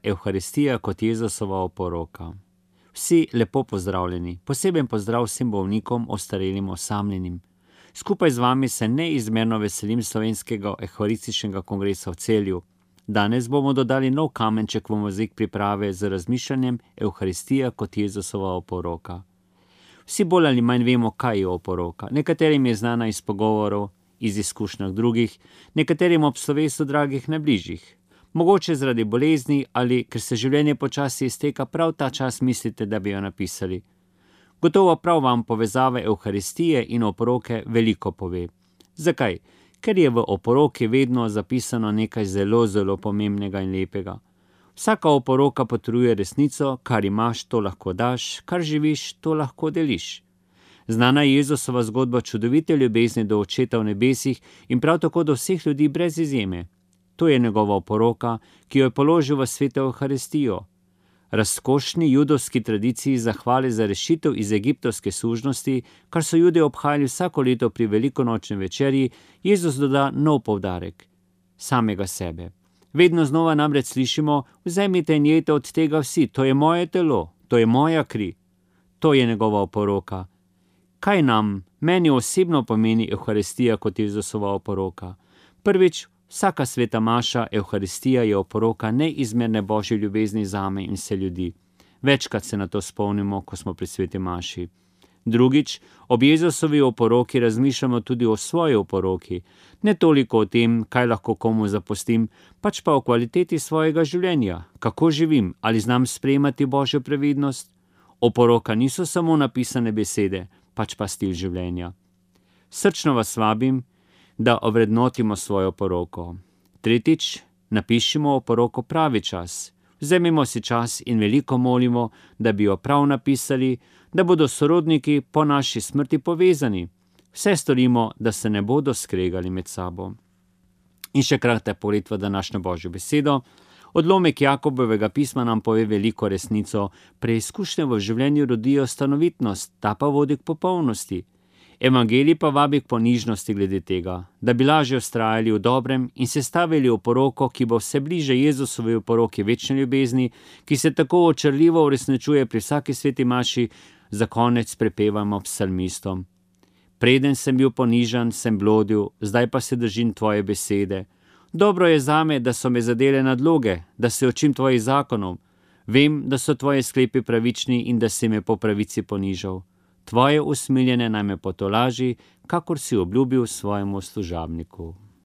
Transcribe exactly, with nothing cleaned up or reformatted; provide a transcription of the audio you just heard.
Evharistija kot Jezusova oporoka. Vsi lepo pozdravljeni, poseben pozdrav vsem bolnikom, ostarelim, osamljenim. Skupaj z vami se neizmerno veselim slovenskega evharističnega kongresa v Celju. Danes bomo dodali nov kamenček v mozaik priprave z razmišljanjem Evharistija kot Jezusova oporoka. Vsi bolj ali manj vemo, kaj je oporoka. Nekaterim je znana iz pogovorov, iz izkušnjah drugih, nekaterim ob slovesu dragih najbližjih. Mogoče zaradi bolezni ali ker se življenje počasi izteka, prav ta čas mislite, da bi jo napisali. Gotovo prav vam povezave Evharistije in oporoke veliko pove. Zakaj? Ker je v oporoki vedno zapisano nekaj zelo, zelo pomembnega in lepega. Vsaka oporoka potrjuje resnico, kar imaš, to lahko daš, kar živiš, to lahko deliš. Znana je Jezusova zgodba čudovite ljubezni do Očeta v nebesih in prav tako do vseh ljudi brez izjeme. To je njegova oporoka, ki jo je položil v sveto Evharistijo. Razkošni judovski tradiciji zahvale za rešitev iz egiptovske sužnosti, kar so Jude obhajali vsako leto pri velikonočni večerji, Jezus doda nov poudarek, samega sebe. Vedno znova namreč slišimo, vzemite in jejte od tega vsi, to je moje telo, to je moja kri. To je njegova oporoka. Kaj nam, meni osebno pomeni Evharistija kot Jezusova oporoka? Prvič, vsaka sveta maša, Evharistija je oporoka neizmerne božje ljubezni zame in vse ljudi. Večkrat se na to spomnimo, ko smo pri sveti maši. Drugič, ob Jezusovi oporoki razmišljamo tudi o svoji oporoki. Ne toliko o tem, kaj lahko komu zapustim, pač pa o kvaliteti svojega življenja. Kako živim, ali znam sprejemati božjo previdnost? Oporoka niso samo napisane besede, pač pa stil življenja. Srčno vas vabim, da ovrednotimo svojo poroko. Tretjič, napišimo oporoko pravi čas. Vzemimo si čas in veliko molimo, da bi jo prav napisali, da bodo sorodniki po naši smrti povezani. Vse storimo, da se ne bodo skregali med sabo. In še kratka pogled v današnjo božjo besedo. Odlomek Jakobovega pisma nam pove veliko resnico. Preizkušnje v življenju rodijo stanovitnost, ta pa vodi k popolnosti. Evangelij pa vabi k ponižnosti glede tega, da bi lažje vztrajali v dobrem in se stavili v poroko, ki bo vse bliže Jezusovi oporoki večne ljubezni, ki se tako očarljivo uresničuje pri vsaki sveti maši, za konec prepevamo psalmistom. Preden sem bil ponižan, sem blodil, zdaj pa se držim tvoje besede. Dobro je zame, da so me zadele nadloge, da se učim tvojih zakonov. Vem, da so tvoje sklepi pravični in da si me po pravici ponižal. Tvoje usmiljene naj me potolaži, kakor si obljubil svojemu služabniku.